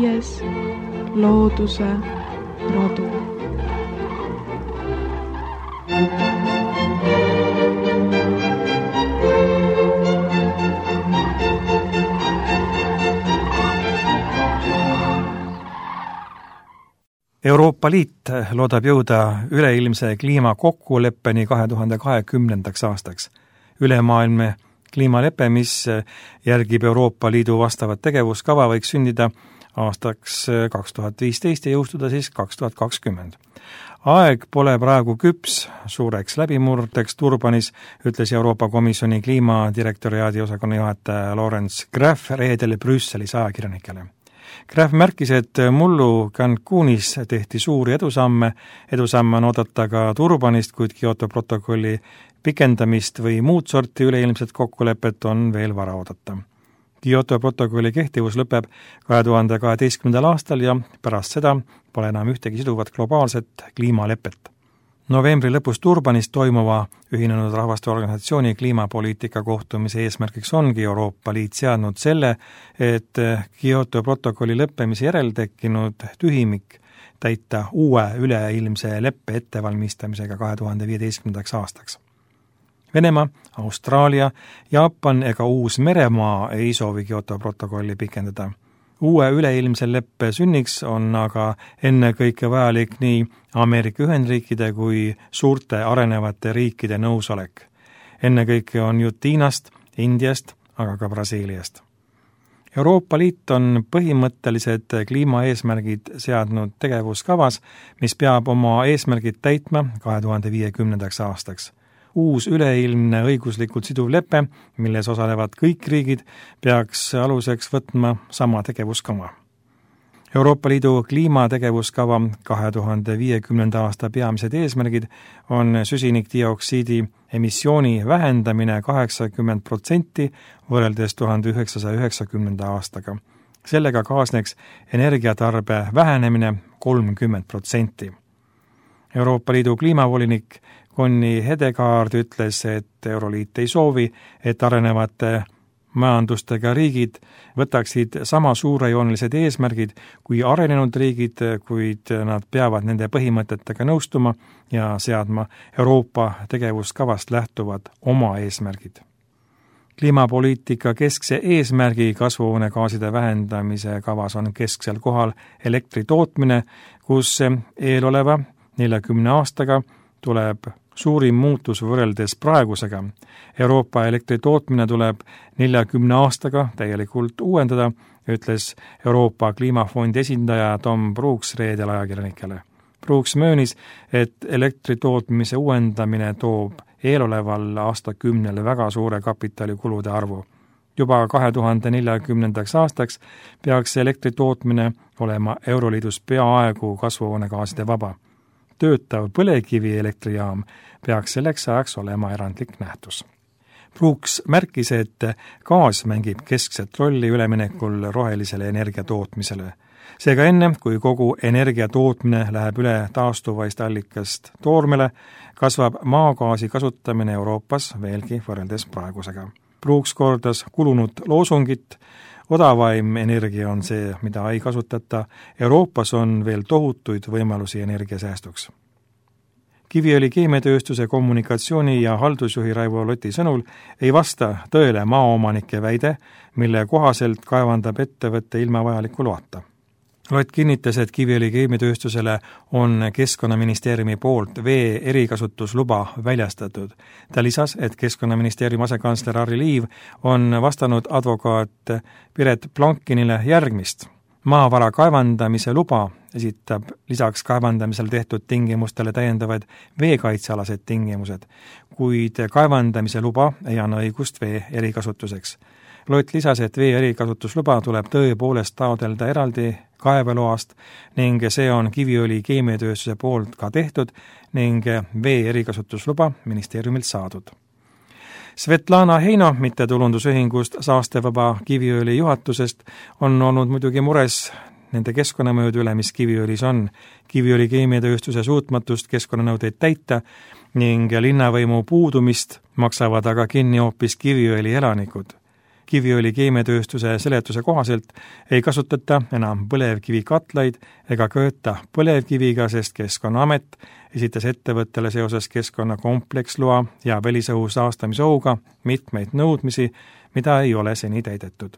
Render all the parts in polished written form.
5. looduse rodu. Euroopa Liit loodab jõuda üleilmse kliimakokkuleppeni 2020. aastaks. Ülemaailmne kliimalepe, mis järgib Euroopa Liidu vastavat tegevuskava, võiks sündida aastaks 2015 ja jõustuda siis 2020. Aeg pole praegu küps suureks läbimurdeks Durbanis, ütles Euroopa Komisjoni kliimadirektoriaadi osakonna juhataja Lawrence Graff reedel Brüsselis ajakirjanikele. Graff märkis, et mullu Cancunis tehti suuri edusamme on oodata ka Durbanist, kuid Kyoto protokolli pikendamist või muud sorti üleilmset kokkulepet on veel vara oodata. Kyoto protokolli kehtivus lõpeb 2012. aastal ja pärast seda pole enam ühtegi siduvat globaalset kliimalepet. Novembri lõpus Durbanis toimuva Ühinenud Rahvaste Organisatsiooni kliimapoliitika kohtumise eesmärgiks ongi Euroopa Liit seadnud selle, et Kyoto protokolli lõppemise järel tekkinud tühimik täita uue üleilmse leppe ettevalmistamisega 2015. aastaks. Venemaa, Austraalia, Jaapan ega Uus-Meremaa ei soovi Kyoto protokolli pikendada. Uue üleilmse leppe sünniks on aga ennekõike vajalik nii Ameerika Ühendriikide kui suurte arenevate riikide nõusolek. Ennekõike on jutt Hiinast, Indiast, aga ka Brasiiliast. Euroopa Liit on põhimõttelised kliimaeesmärgid seadnud tegevuskavas, mis peab oma eesmärgid täitma 2050. aastaks. Uus üleilmne õiguslikult siduv lepe, milles osalevad kõik riigid, peaks aluseks võtma sama tegevuskava. Euroopa Liidu kliimategevuskava 2050. aasta peamised eesmärgid on süsinikdioksiidi emissiooni vähendamine 80% võrreldes 1990. aastaga. Sellega kaasneks energiatarbe vähenemine 30%. Euroopa Liidu kliimavolinik Conny Hedegaard ütles, et Euroliit ei soovi, et arenevate majandustega riigid võtaksid sama suurejoonelised eesmärgid kui arenenud riigid, kuid nad peavad nende põhimõtetega nõustuma ja seadma Euroopa tegevuskavast lähtuvad oma eesmärgid. Kliimapoliitika keskse eesmärgi kasvuhoonegaaside vähendamise kavas on kesksel kohal elektri tootmine, kus eeloleva 40 aastaga tuleb suurim muutus võrreldes praegusega. Euroopa elektritootmine tuleb 40 aastaga täielikult uuendada, ütles Euroopa Kliimafondi esindaja Tom Brooks reedel ajakirjanikele. Brooks möönis, et elektritootmise uuendamine toob eeloleval aastakümnel väga suure kapitalikulude arvu. Juba 2040. aastaks peaks elektritootmine olema Euroliidus peaaegu kasvuhoonegaaside vaba. Töötav põlevkivielektrijaam peaks selleks ajaks olema erandlik nähtus. Brooks märkis, et gaas mängib keskset rolli üleminekul rohelisele energiatootmisele. Seega enne, kui kogu energiatootmine läheb üle taastuvaist allikast toormele, kasvab maagaasi kasutamine Euroopas veelgi võrreldes praegusega. Brooks kordas kulunud loosungit, odavaim energia on see, mida ei kasutata. Euroopas on veel tohutuid võimalusi energiasäästuks. Kiviõli keemiatööstuse kommunikatsiooni- ja haldusjuhi Raivo Loti sõnul ei vasta tõele maaomanike väide, mille kohaselt kaevandab ettevõtte ilma vajaliku loata. Lott kinnitas, et Kiviõli keemiatööstusele on Keskkonnaministeeriumi poolt vee erikasutusluba väljastatud. Ta lisas, et Keskkonnaministeeriumi asekantsler Harri Liiv on vastanud advokaat Piret Plankinile järgmist. Maavara kaevandamise luba esitab lisaks kaevandamisel tehtud tingimustele täiendavad veekaitsealased tingimused, kuid kaevandamise luba ei anna õigust vee erikasutuseks. Lott lisas, et vee erikasutusluba tuleb tõepoolest taotleda eraldi kaeveloast ning see on Kiviõli keemiatööstuse poolt ka tehtud ning vee erikasutusluba ministeeriumilt saadud. Svetlana Heino mittetulundusühingust Saastevaba Kiviõli juhatusest on olnud muidugi mures nende keskkonnamõjude üle, mis Kiviõlis on. Kiviõli keemiatööstuse suutmatust keskkonnanõudeid täita ning linnavõimu puudumist maksavad aga kinni hoopis Kiviõli elanikud. Kiviõli keemiatööstuse seletuse kohaselt ei kasutata enam põlevkivikatlaid ega kööta põlevkiviga, sest Keskkonnaamet esitas ettevõttele seoses keskkonnakompleksloa ja välisõhu saastamisohuga mitmeid nõudmisi, mida ei ole seni täidetud.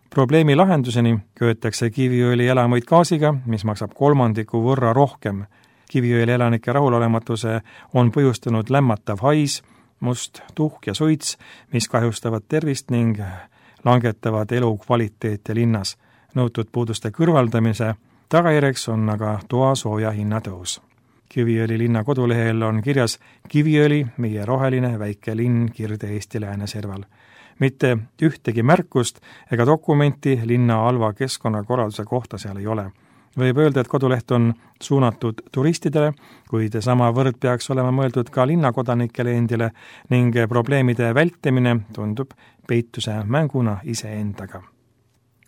Probleemi lahenduseni köötakse Kiviõli elamuid gaasiga, mis maksab 1/3 võrra rohkem. Kiviõli elanike rahulolematuse on põhjustanud lämmatav hais, must tuhk ja suits, mis kahjustavad tervist ning langetavad elukvaliteeti linnas. Nõutud puuduste kõrvaldamise tagajärjeks on aga toasooja hinnatõus. Kiviõli linna kodulehel on kirjas Kiviõli, meie roheline väike linn Kirde-Eesti lääneserval. Mitte ühtegi märkust ega dokumenti linna halva keskkonnakorralduse kohta seal ei ole. Võib öelda, et koduleht on suunatud turistidele, kuid sama võrd peaks olema mõeldud ka linnakodanikele endile ning probleemide vältimine tundub peituse mänguna iseendaga.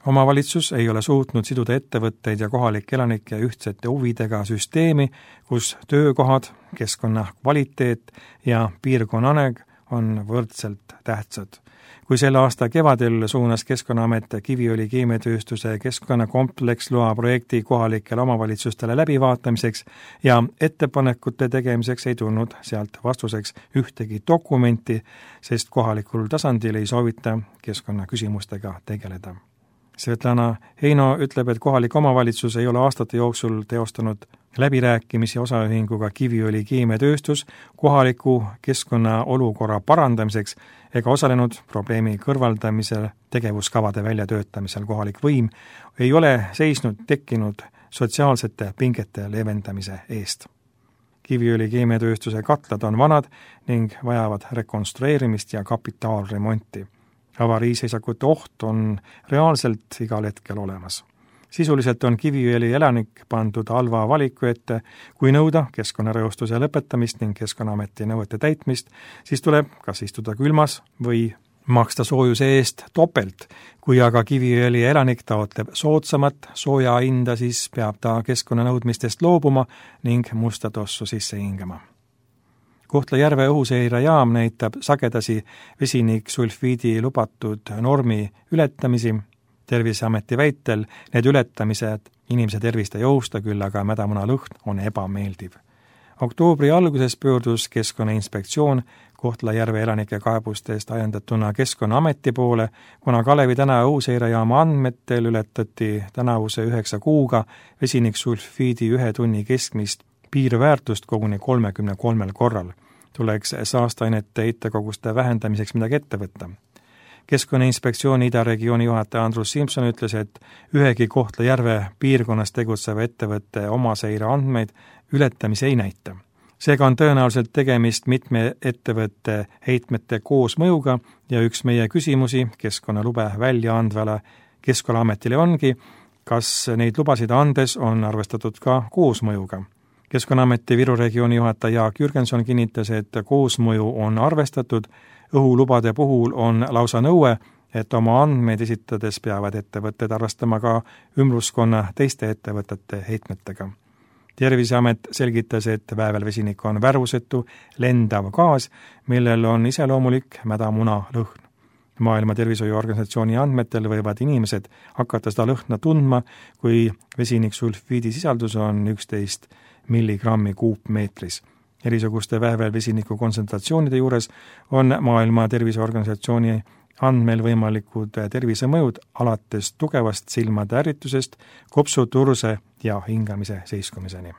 Omavalitsus ei ole suutnud siduda ettevõtteid ja kohalike elanike ühtsete huvidega süsteemi, kus töökohad, keskkonna kvaliteet ja piirkonna areng on võrdselt tähtsad. Kui selle aasta kevadel suunas Keskkonnaamet Kiviõli keemiatööstuse keskkonnakompleksloa projekti kohalikele omavalitsustele läbivaatamiseks ja ettepanekute tegemiseks ei tulnud sealt vastuseks ühtegi dokumenti, sest kohalikul tasandil ei soovita keskkonnaküsimustega tegeleda. Svetlana Heino ütleb, et kohalik omavalitsus ei ole aastate jooksul teostanud läbirääkimisi osaühinguga Kiviõli keemiatööstus kohaliku keskkonna olukorra parandamiseks ega osalenud probleemi kõrvaldamisel tegevuskavade väljatöötamisel. Kohalik võim ei ole seisnud tekkinud sotsiaalsete pingete leevendamise eest. Kiviõli keemiatööstuse katlad on vanad ning vajavad rekonstrueerimist ja kapitaalremonti. Avariiseisakute oht on reaalselt igal hetkel olemas. Sisuliselt on Kiviõli elanik pandud halva valiku ette, kui nõuda keskkonnareostuse lõpetamist ning Keskkonnaameti nõuete täitmist, siis tuleb kas istuda külmas või maksta soojuse eest topelt. Kui aga Kiviõli elanik taotleb soodsamat sooja hinda, siis peab ta keskkonnanõudmistest loobuma ning musta tossu sisse hingama. Kohtla-Järve õhuseirejaam näitab sagedasi vesiniksulfiidi lubatud normi ületamisi. Terviseameti väitel need ületamised inimese tervist ei ohusta, küll aga mädamuna lõhn on ebameeldiv. Oktoobri alguses pöördus Keskkonnainspektsioon Kohtla-Järve elanike kaebustest ajendatuna Keskkonnaameti poole, kuna Kalevi tänava õhuseirejaama andmetel ületati tänavuse 9 kuuga vesiniksulfiidi 1 tunni keskmist piirväärtust koguni 33 korral. Tuleks saasteainete heitekoguste vähendamiseks midagi ette võtta. Keskkonnainspektsiooni Ida-regiooni juhataja Andrus Simson ütles, et ühegi Kohtla-Järve piirkonnas tegutseva ettevõtte omaseire andmeid ületamise ei näita. Seega on tõenäoliselt tegemist mitme ettevõtte heitmete koosmõjuga ja üks meie küsimusi keskkonnalube välja andvale Keskkonnaametile ongi, kas neid lubasid andes on arvestatud ka koosmõjuga. Keskkonnaameti Viru regiooni juhataja Jaak Jürgenson kinnitas, et koosmõju on arvestatud. Õhulubade puhul on lausa nõue, et oma andmeid esitades peavad ettevõtted arvestama ka ümbruskonna teiste ettevõtete heitmetega. Terviseamet selgitas, et väävelvesinik on värvusetu, lendav gaas, millel on iseloomulik mädamuna lõhn. Maailma Tervishoiuorganisatsiooni andmetel võivad inimesed hakata seda lõhna tundma, kui vesiniksulfiidi sisaldus on 11 milligrammi kuupmeetris. Erisuguste väävelvesiniku kontsentratsioonide juures on Maailma Terviseorganisatsiooni andmel võimalikud tervisemõjud alates tugevast silmade ärritusest, kopsuturse ja hingamise seiskumiseni.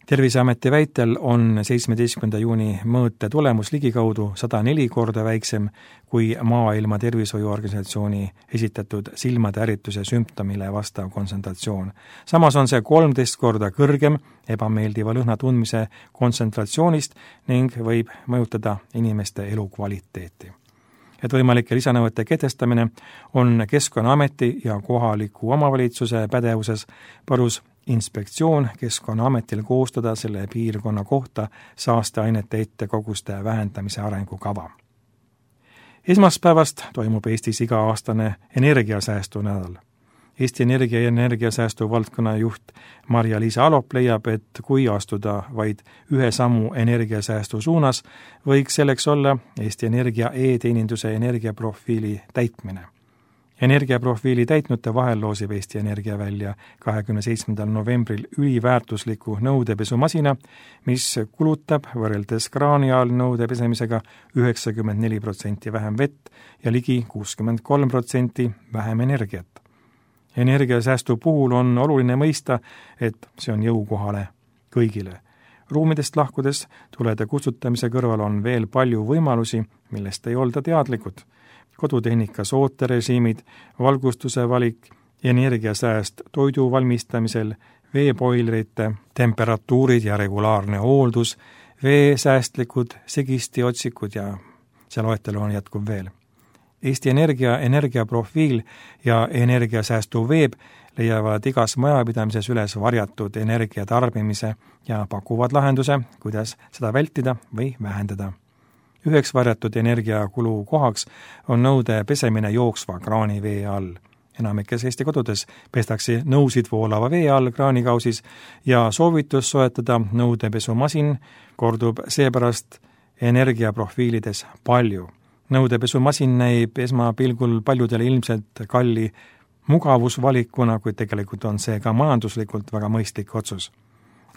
Terviseameti väitel on 17. juuni mõõte tulemus ligikaudu 104 korda väiksem kui Maailma Tervishoiuorganisatsiooni esitatud silmade ärrituse sümptomile vastav kontsentratsioon. Samas on see 13 korda kõrgem ebameeldiva lõhna tundmise kontsentratsioonist ning võib mõjutada inimeste elukvaliteeti. Et võimalike lisanõuete kehtestamine on Keskkonnaameti ja kohaliku omavalitsuse pädevuses, palus inspektsioon Keskkonnaametil koostada selle piirkonna kohta saasteainete heitkoguste vähendamise arengukava. Esmaspäevast toimub Eestis iga-aastane energiasäästu nädal. Eesti Energia ja energiasäästu valdkonna juht Marja-Liisa Alop leiab, et kui astuda vaid ühe sammu energiasäästu suunas, võiks selleks olla Eesti Energia e-teeninduse energiaprofiili täitmine. Energiaprofiili täitnute vahel loosib Eesti Energia välja 27. novembril üliväärtusliku nõudepesumasina, mis kulutab võrreldes kraani all nõude pesemisega 94% vähem vett ja ligi 63% vähem energiat. Energiasäästu puhul on oluline mõista, et see on jõukohale kõigile. Ruumidest lahkudes tulede kustutamise kõrval on veel palju võimalusi, millest ei olda teadlikud. Kodutehnikas ooterežiimid, valgustuse valik, energiasääst toidu valmistamisel, veepoilrite, temperatuurid ja regulaarne hooldus, veesäästlikud segistiotsikud ja see loetelu on jätkub veel. Eesti Energia energiaprofiil ja energiasäästu veeb leiavad igas majapidamises üles varjatud energiatarbimise ja pakuvad lahenduse, kuidas seda vältida või vähendada. Üheks varjatud energiakulu kohaks on nõude pesemine jooksva kraanivee all. Enamikes Eesti kodudes pestakse nõusid voolava vee all kraanikausis ja soovitus soetada nõudepesumasin kordub seepärast energiaprofiilides palju. Nõudepesumasin näib esmapilgul paljudele ilmselt kalli mugavusvalikuna, kuid tegelikult on see ka majanduslikult väga mõistlik otsus.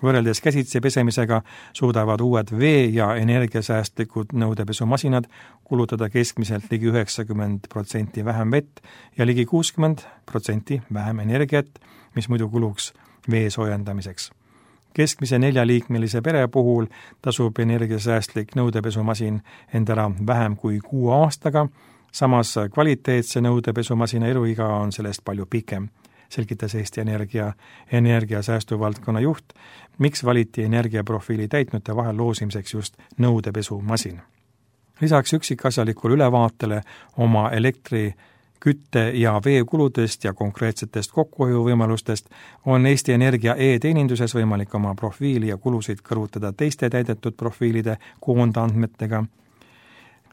Võrreldes käsitsi pesemisega suudavad uued vee- ja energiasäästlikud nõudepesumasinad kulutada keskmiselt ligi 90% vähem vett ja ligi 60% vähem energiat, mis muidu kuluks vee soojendamiseks. Keskmise 4-liikmelise pere puhul tasub energiasäästlik nõudepesumasin endale vähem kui 6 aastaga, samas kvaliteetse nõudepesumasina eluiga on sellest palju pikem, selgitas Eesti Energia energiasäästu valdkonna juht, miks valiti energiaprofiili täitnute vahel loosimiseks just nõudepesumasin. Lisaks üksikasjalikule ülevaatele oma elektri, kütte- ja veekuludest ja konkreetsetest kokkuhoiuvõimalustest on Eesti Energia e-teeninduses võimalik oma profiili ja kulusid kõrvutada teiste täidetud profiilide koondandmetega.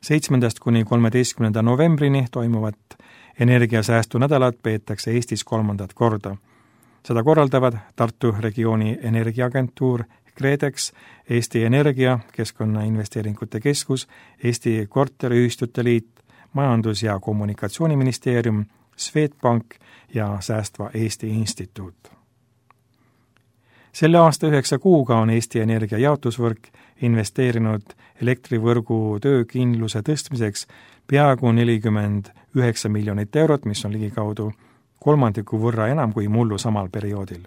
7. kuni 13. novembrini toimuvat energiasäästu nädalat peetakse Eestis 3. korda. Seda korraldavad Tartu regiooni energiaagentuur, KredEx, Eesti Energia, Keskkonnainvesteeringute Keskus, Eesti Korteriühistute Liit, Majandus- ja Kommunikatsiooniministeerium, Swedbank ja Säästva Eesti Instituut. Selle aasta 9 kuuga on Eesti Energia jaotusvõrk investeerinud elektrivõrgu töökindluse tõstmiseks peaaegu 49 miljonit eurot, mis on ligikaudu kolmandiku võrra enam kui mullu samal perioodil.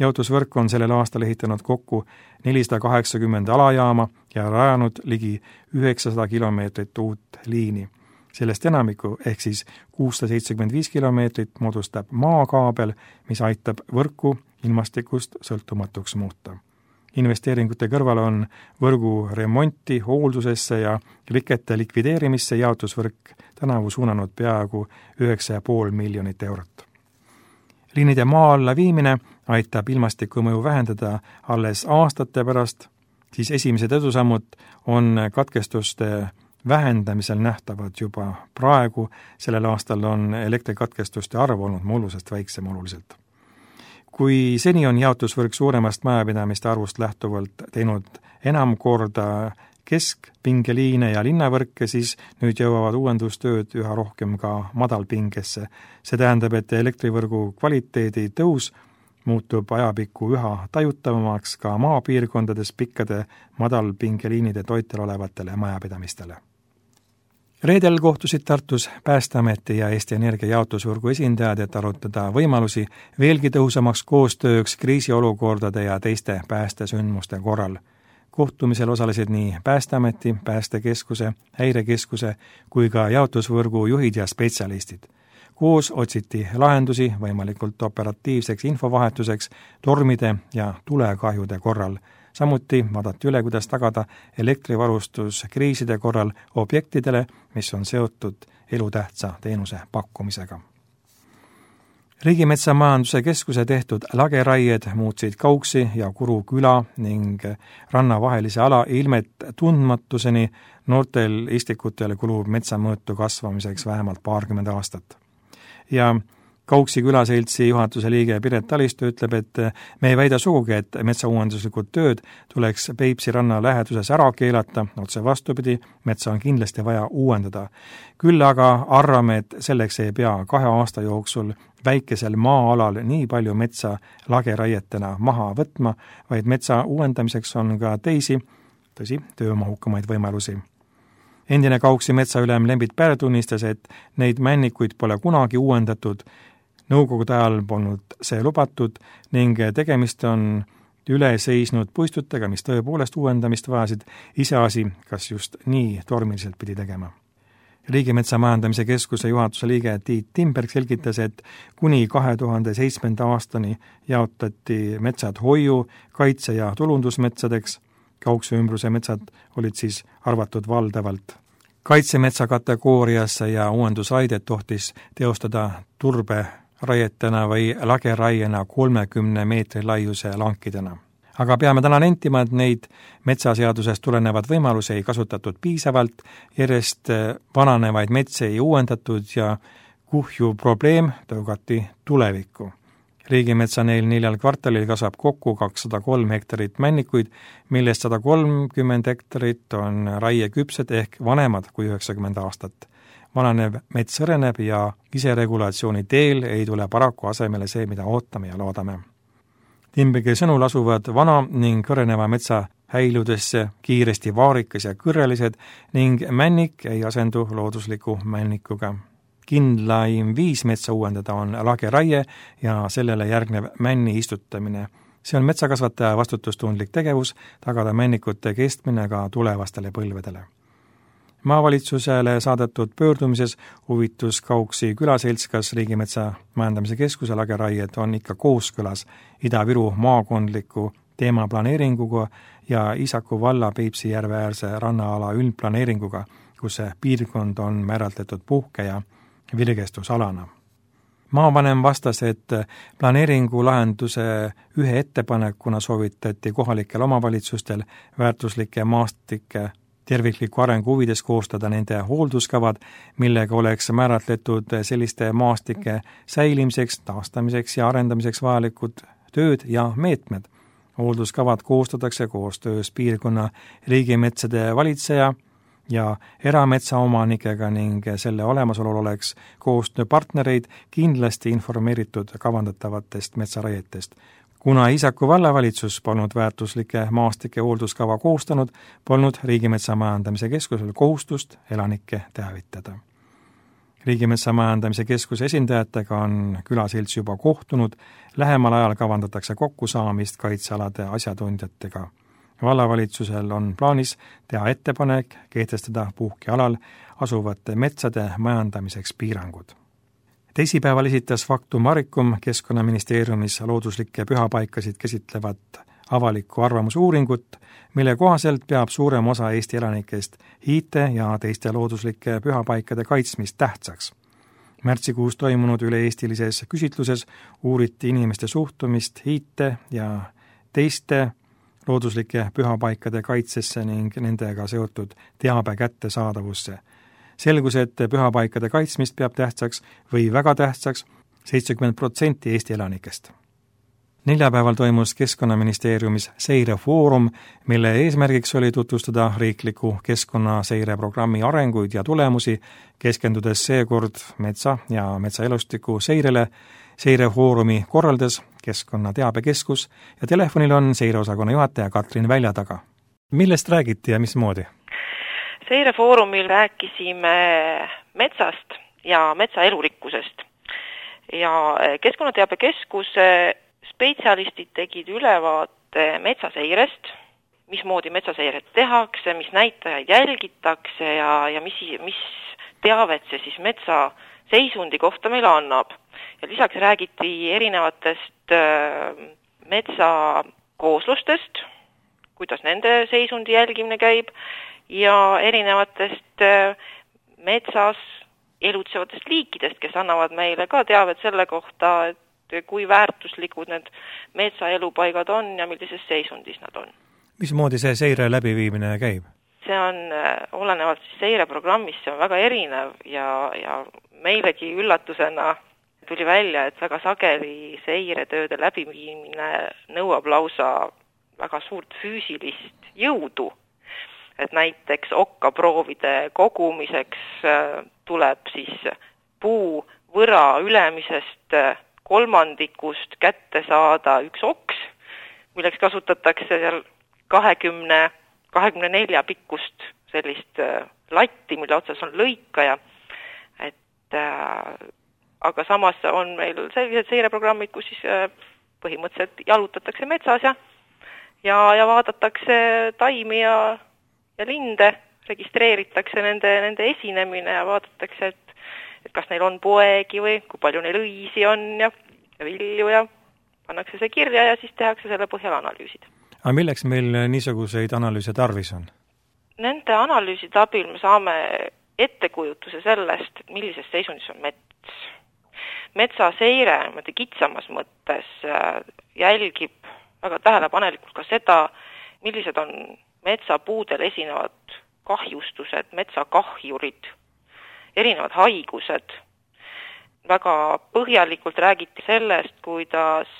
Jaotusvõrk on sellel aastal ehitanud kokku 480 alajaama ja rajanud ligi 900 kilomeetrit uut liini. Sellest enamiku ehk siis 675 kilomeetrit moodustab maakaabel, mis aitab võrku ilmastikust sõltumatuks muuta. Investeeringute kõrval on võrgu remonti, hooldusesse ja rikete likvideerimisse jaotusvõrk tänavu suunanud peaaegu 9,5 miljonit eurot. Liinide maa alla viimine aitab ilmastikumõju vähendada alles aastate pärast, siis esimesed edusammud on katkestuste vähendamisel nähtavad juba praegu, sellel aastal on elektrikatkestuste arv olnud mullusest väiksem oluliselt. Kui seni on jaotusvõrk suuremast majapidamiste arvust lähtuvalt teinud enam korda keskpingeliine ja linnavõrke, siis nüüd jõuavad uuendustööd üha rohkem ka madalpingesse. See tähendab, et elektrivõrgu kvaliteedi tõus muutub ajapikku üha tajutavamaks ka maapiirkondades pikkade madalpingeliinide toitel olevatele majapidamistele. Reedel kohtusid Tartus Päästeameti ja Eesti Energia jaotusvõrgu esindajad, et arutada võimalusi veelgi tõhusamaks koostööks kriisiolukordade ja teiste päästesündmuste korral. Kohtumisel osalesid nii Päästeameti, Päästekeskuse, Häirekeskuse kui ka jaotusvõrgu juhid ja spetsialistid. Koos otsiti lahendusi võimalikult operatiivseks infovahetuseks tormide ja tulekahjude korral. Samuti vaadati üle, kuidas tagada elektrivarustus kriiside korral objektidele, mis on seotud elutähtsa teenuse pakkumisega. Riigimetsamajanduse Keskuse tehtud lageraied muutsid Kauksi ja Kuru küla ning rannavahelise ala ilmet tundmatuseni, noortel istikutel kulub metsamõõtu kasvamiseks vähemalt 20 aastat. Ja Kauksi külaseltsi juhatuse liige Piret Talistu ütleb, et me ei väida sugugi, et metsauuenduslikud tööd tuleks Peipsi ranna läheduses ära keelata, otse vastupidi, metsa on kindlasti vaja uuendada. Küll aga arvame, et selleks ei pea 2 aasta jooksul väikesel maa-alal nii palju metsa lageraietena maha võtma, vaid metsa uuendamiseks on ka teisi, tõsi, töömahukamaid võimalusi. Endine Kauksi metsaülem Lembit Pär tunnistas, et neid männikuid pole kunagi uuendatud, nõukogude ajal polnud see lubatud ning tegemist on üle seisnud puistutega, mis tõepoolest uuendamist vajasid, iseasi, kas just nii tormiliselt pidi tegema. Riigimetsa Majandamise Keskuse juhatuse liige Tiit Timberg selgitas, et kuni 2007. aastani jaotati metsad hoiu, kaitse- ja tulundusmetsadeks, Kauksi ümbruse metsad olid siis arvatud valdavalt kaitsemetsa kategooriasse ja uuendusraidet tohtis teostada turberaietena või lageraiena 30 meetri laiuse lankidena. Aga peame täna nentima, et neid metsaseadusest tulenevad võimalusi ei kasutatud piisavalt, järjest vananevaid metsi ei uuendatud ja kuhju probleem tõugati tulevikku. Riigimetsa neil 4 kvartalil kasvab kokku 203 hektarit männikuid, millest 130 hektarit on raieküpsed ehk vanemad kui 90 aastat. Vananev mets sõreneb ja iseregulatsiooni teel ei tule paraku asemele see, mida ootame ja loodame. Timbergi sõnul asuvad vana ning kõreneva metsa häiludesse kiiresti vaarikas ja kõrrelised ning männik ei asendu loodusliku männikuga. Kindlaim viis metsa uuendada on lageraie ja sellele järgnev männi istutamine. See on metsakasvataja vastutustundlik tegevus, tagada männikute kestmine ka tulevastele põlvedele. Maavalitsusele saadetud pöördumises huvitus Kauksi külaselts, kas Riigimetsa Majandamise Keskuse lageraied on ikka kooskõlas Ida-Viru maakondliku teemaplaneeringuga ja Iisaku valla Peipsi järve äärse rannaala üldplaneeringuga, kus see piirkond on määratletud puhke- ja virgestusalana. Maavanem vastas, et planeeringu lahenduse ühe ettepanekuna soovitati kohalikel omavalitsustel väärtuslike maastike tervikliku arengu huvides koostada nende hoolduskavad, millega oleks määratletud selliste maastike säilimiseks, taastamiseks ja arendamiseks vajalikud tööd ja meetmed. Hoolduskavad koostatakse koostöös piirkonna riigimetsade valitseja ja erametsaomanikega ning selle olemasolul oleks koostööpartnereid kindlasti informeeritud kavandatavatest metsaraietest. Kuna Iisaku vallavalitsus polnud väärtuslike maastike hoolduskava koostanud, polnud Riigimetsa Majandamise Keskusel kohustust elanikke teavitada. Riigimetsa Majandamise Keskuse esindajatega on külaselts juba kohtunud, lähemal ajal kavandatakse kokkusaamist kaitsealade asjatundjatega. Vallavalitsusel on plaanis teha ettepanek kehtestada puhkealal asuvate metsade majandamiseks piirangud. Teisipäeval esitas Factum Maricum Keskkonnaministeeriumis looduslikke pühapaikasid käsitlevat avaliku arvamusuuringut, mille kohaselt peab suurem osa Eesti elanikest hiite ja teiste looduslike pühapaikade kaitsmist tähtsaks. Märtsikuus toimunud üle-eestilises küsitluses uuriti inimeste suhtumist hiite ja teiste looduslike pühapaikade kaitsesse ning nendega seotud teabe kättesaadavusse. Selgus, et pühapaikade kaitsmist peab tähtsaks või väga tähtsaks 70% Eesti elanikest. Neljapäeval toimus Keskkonnaministeeriumis seirefoorum, mille eesmärgiks oli tutvustada riikliku keskkonnaseireprogrammi arenguid ja tulemusi, keskendudes seekord metsa ja metsaelustiku seirele. Seirefoorumi korraldas Keskkonnateabekeskus ja telefonil on seireosakonna juhataja Katrin Väljataga. Millest räägiti ja mismoodi? Seirefoorumil rääkisime metsast ja metsa elurikkusest ja Keskkonnateabekeskuse spetsialistid tegid ülevaate metsaseirest, mismoodi metsaseiret tehakse, mis näitajaid jälgitakse ja mis teavet see siis metsa seisundi kohta meile annab. Ja lisaks räägiti erinevatest metsakooslustest, kuidas nende seisundi jälgimine käib ja erinevatest metsas elutsevatest liikidest, kes annavad meile ka teavet selle kohta, et kui väärtuslikud need metsaelupaigad on ja millises seisundis nad on. Mismoodi see seire läbiviimine käib? See on olenevalt seireprogrammist, see on väga erinev ja meilegi üllatusena tuli välja, et väga sageli seiretööde läbiviimine nõuab lausa väga suurt füüsilist jõudu. Et näiteks okkaproovide kogumiseks tuleb siis puu võra ülemisest kolmandikust kätte saada üks oks, milleks kasutatakse seal 24 pikkust sellist latti, mille otsas on lõikaja. Aga samas on meil sellised seireprogrammid, kus siis põhimõtteliselt jalutatakse metsas ja vaadatakse taimi ja linde, registreeritakse nende esinemine ja vaadatakse, et kas neil on poegi või kui palju neil õisi on ja vilju ja pannakse see kirja ja siis tehakse selle põhjal analüüsid. Aga milleks meil niisuguseid analüüse tarvis on? Nende analüüside abil me saame ettekujutuse sellest, et millises seisundis on mets. Metsaseire kitsamas mõttes jälgib väga tähelepanelikult ka seda, millised on metsapuudel esinevad kahjustused, metsakahjurid, erinevad haigused. Väga põhjalikult räägiti sellest, kuidas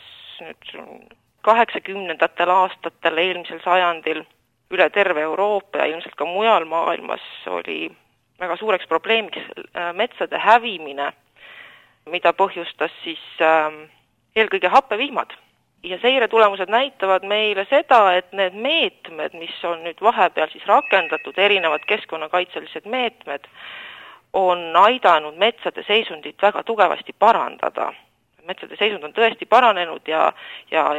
80. aastatel eelmisel sajandil üle terve Euroopa ja ilmselt ka mujal maailmas oli väga suureks probleemiks metsade hävimine, mida põhjustas siis eelkõige happevihmad. Ja seire tulemused näitavad meile seda, et need meetmed, mis on nüüd vahepeal siis rakendatud, erinevad keskkonnakaitselised meetmed, on aidanud metsade seisundit väga tugevasti parandada. Metsade seisund on tõesti paranenud ja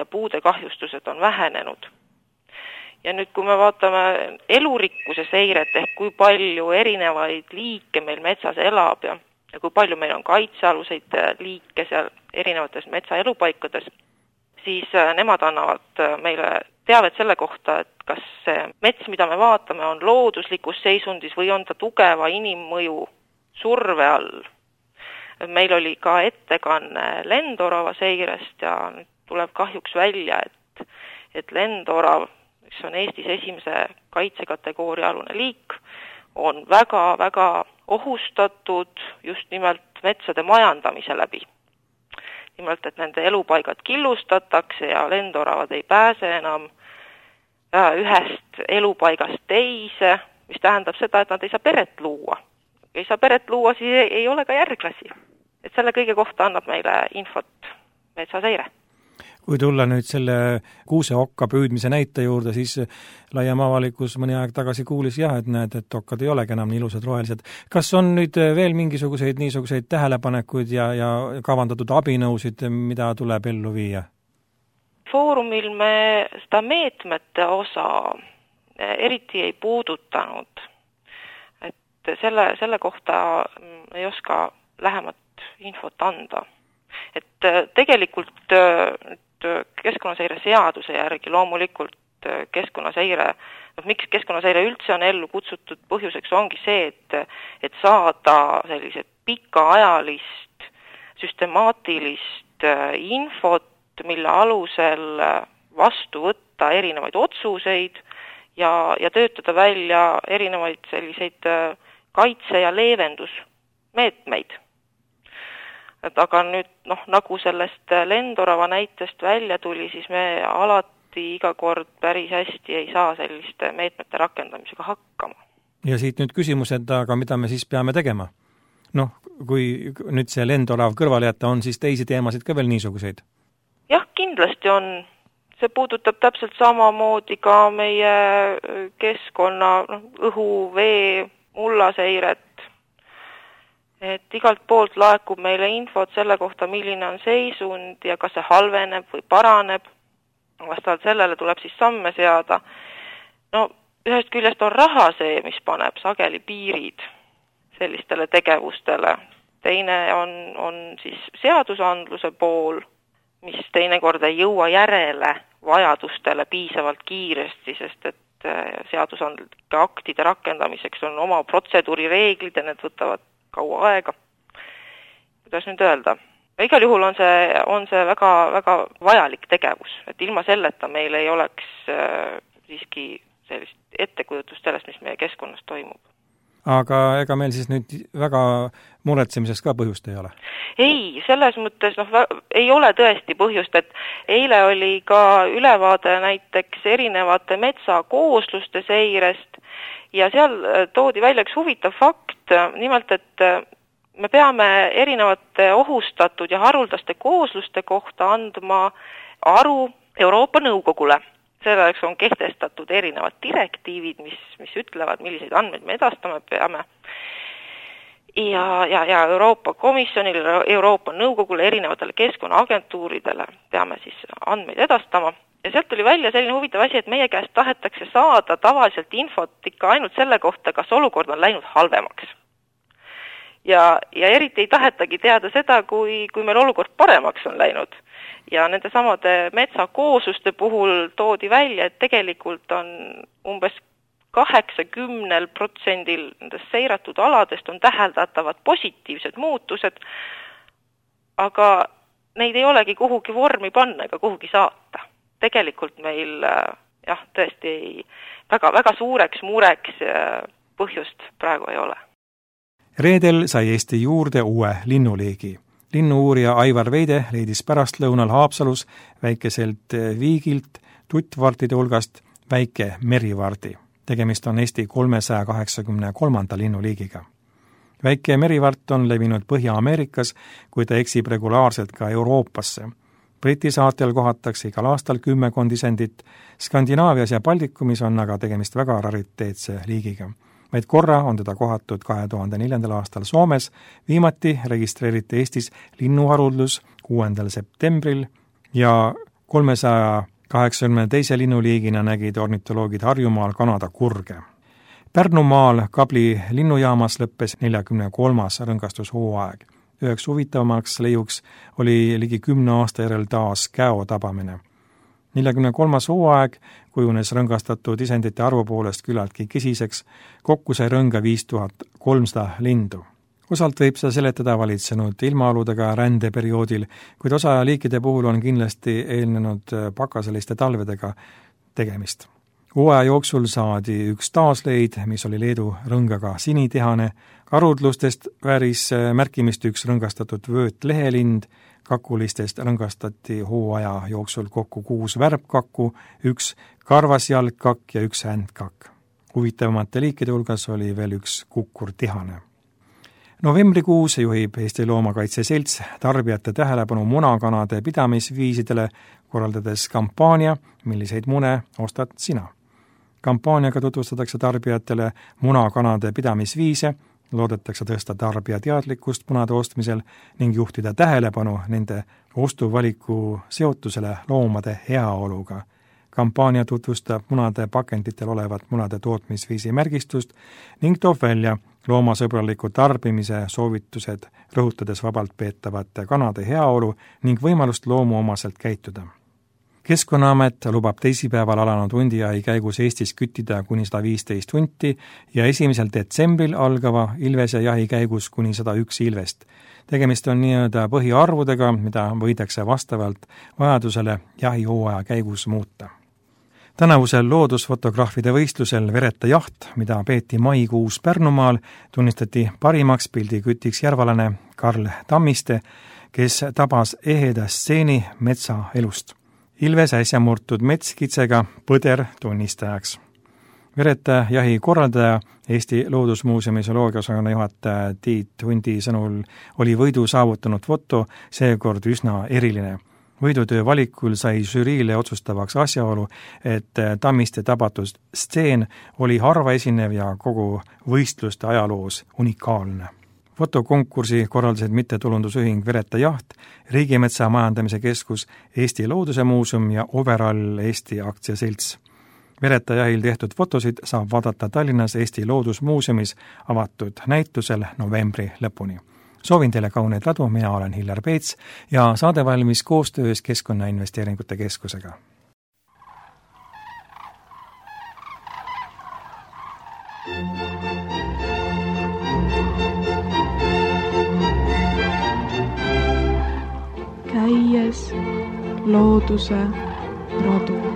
puude kahjustused on vähenenud. Ja nüüd, kui me vaatame elurikkuse seiret ehk kui palju erinevaid liike meil metsas elab ja kui palju meil on kaitsealuseid liike seal erinevates metsaelupaikades, siis nemad annavad meile teavet selle kohta, et kas see mets, mida me vaatame, on looduslikus seisundis või on ta tugeva inimmõju surve all. Meil oli ka ettekanne lendorava seirest ja nüüd tuleb kahjuks välja, et lendorav, mis on Eestis esimese kaitsekategooria alune liik, on väga-väga ohustatud just nimelt metsade majandamise läbi. Nimelt, et nende elupaigad killustatakse ja lendoravad ei pääse enam ühest elupaigast teise, mis tähendab seda, et nad ei saa peret luua. Ei saa peret luua, siis ei ole ka järglasi. Et selle kõige kohta annab meile infot metsaseire. Kui tulla nüüd selle kuuseokka püüdmise näite juurde, siis laiem avalikkus mõni aeg tagasi kuulis et näed, et okkad ei olegi enam nii ilusad rohelised. Kas on nüüd veel mingisuguseid niisuguseid tähelepanekuid ja kavandatud abinõusid, mida tuleb ellu viia? Foorumil me seda meetmete osa eriti ei puudutanud. Et selle kohta ei oska lähemat infot anda. Et tegelikult keskkonnaseire seaduse järgi loomulikult keskkonnaseire, miks keskkonnaseire üldse on ellu kutsutud põhjuseks ongi see, et saada sellised pikaajalist, süstemaatilist infot, mille alusel vastu võtta erinevaid otsuseid ja töötada välja erinevaid selliseid kaitse- ja leevendusmeetmeid. Aga nüüd, nagu sellest lendorava näitest välja tuli, siis me alati iga kord päris hästi ei saa selliste meetmete rakendamisega hakkama. Ja siit nüüd küsimus, et aga mida me siis peame tegema? Kui nüüd see lendorav kõrvale jätta, on siis teisi teemasid ka veel niisuguseid? Jah, kindlasti on. See puudutab täpselt samamoodi ka meie keskkonna, õhu, vee, mullaseiret. Et igalt poolt laekub meile infot selle kohta, milline on seisund ja kas see halveneb või paraneb. Vastavalt sellele tuleb siis samme seada. Ühest küljest on raha see, mis paneb sageli piirid sellistele tegevustele. Teine on siis seadusandluse pool, mis teinekord ei jõua järele vajadustele piisavalt kiiresti, sest et seadusandlike aktide rakendamiseks on oma protseduurireeglid ja need võtavad kaua aega. Kuidas nüüd öelda? Igal juhul on see väga, väga vajalik tegevus, et ilma selleta meil ei oleks siiski sellist ettekujutust sellest, mis meie keskkonnas toimub. aga ega meil siis nüüd väga muretsemiseks ka põhjust ei ole? Ei, selles mõttes ei ole tõesti põhjust, et eile oli ka ülevaade näiteks erinevate metsakoosluste seirest ja seal toodi välja üks huvitav fakt, nimelt, et me peame erinevate ohustatud ja haruldaste koosluste kohta andma aru Euroopa Nõukogule. Selleks on kehtestatud erinevad direktiivid, mis ütlevad, milliseid andmeid me edastama peame. Ja Euroopa Komisjonile, Euroopa Nõukogule, erinevatele keskkonnaagentuuridele peame siis andmeid edastama. Ja sealt tuli välja selline huvitav asi, et meie käest tahetakse saada tavaliselt infot ikka ainult selle kohta, kas olukord on läinud halvemaks. Ja eriti ei tahetagi teada seda, kui meil olukord paremaks on läinud. Ja nende samade metsakoosluste puhul toodi välja, et tegelikult on umbes 80% nendest seiratud aladest on täheldatavad positiivsed muutused, aga neid ei olegi kuhugi vormi panna ega kuhugi saata. Tegelikult meil tõesti väga suureks mureks põhjust praegu ei ole. Reedel sai Eesti juurde uue linnuliigi. Linnu-uurija Aivar Veide leidis pärastlõunal Haapsalus väikeselt viigilt tuttvartide hulgast väike merivardi. Tegemist on Eesti 383. linnuliigiga. Väike merivart on levinud Põhja-Ameerikas, kui ta eksib regulaarselt ka Euroopasse. Briti saatel kohatakse igal aastal 10 isendit, Skandinaavias ja Baltikumis on aga tegemist väga rariteetse liigiga. Vaid korra on teda kohatud 2004. aastal Soomes, viimati registreeriti Eestis linnuharuldus 6. septembril ja 382. linnuliigina nägid ornitoloogid Harjumaal Kanada kurge. Pärnumaal Kabli linnujaamas lõppes 43. rõngastushooaeg. Üheks huvitavamaks leiuks oli ligi 10 aasta järel taas käo tabamine. 43. hooaeg kujunes rõngastatud isendite arvu poolest küllaltki kesiseks, kokku sai rõnga 5300 lindu. Osalt võib seda seletada valitsenud ilmaaludega rändeperioodil, kuid osa liikide puhul on kindlasti eelnenud pakaseliste talvedega tegemist. Hooaja jooksul saadi üks taasleid, mis oli Leedu rõngaga sinitihane, karudlustest vääris märkimist üks rõngastatud vööt lehelind, kakulistest rõngastati hooaja jooksul kokku 6 värbkakku, 1 karvasjalgkakk ja 1 händkakk. Huvitavamate liikide hulgas oli veel 1 kukkurtihane. Novembrikuus juhib Eesti Loomakaitse Selts tarbijate tähelepanu munakanade pidamisviisidele, korraldades kampaania, milliseid mune ostad sina. Kampaaniaga tutvustatakse tarbijatele munakanade pidamisviise, loodetakse tõsta tarbija teadlikkust munade ostmisel ning juhtida tähelepanu nende ostuvaliku seotusele loomade heaoluga. Kampaania tutvustab munade pakenditel olevat munade tootmisviisi märgistust ning toob välja loomasõbraliku tarbimise soovitused, rõhutades vabalt peetavate kanade heaolu ning võimalust loomuomaselt käituda. Keskkonnaamet lubab teisipäeval alanud hundijahi käigus Eestis küttida kuni 115 hunti ja 1. detsembril algava ilvese jahi käigus kuni 101 ilvest. Tegemist on nii-öelda põhiarvudega, mida võidakse vastavalt vajadusele jahihooaja käigus muuta. Tänavusel loodusfotograafide võistlusel Vereta jaht, mida peeti maikuus Pärnumaal, tunnistati parimaks pildikütiks järvalane Karl Tammiste, kes tabas eheda stseeni metsa elust. Ilves äsja murtud metskitsega põder tunnistajaks. Vereta jahi korraldaja, Eesti Loodusmuuseumi zooloogiaosakonna juhataja Tiit Hundi sõnul oli võidu saavutanud foto seekord üsna eriline. Võidutöö valikul sai žüriile otsustavaks asjaolu, et Tammiste tabatud stseen oli harva esinev ja kogu võistluste ajaloos unikaalne. Fotokonkursi korraldasid mittetulundusühing Vereta jaht, Riigimetsa Majandamise Keskus, Eesti Looduse Muuseum ja Overall Eesti aktsiaselts. Vereta jahil tehtud fotosid saab vaadata Tallinnas Eesti Loodusmuuseumis avatud näitusel novembri lõpuni. Soovin teile kauneid ladu, mina olen Hillar Peets ja saade valmis koostöös Keskkonnainvesteeringute Keskusega. Käies looduse radu.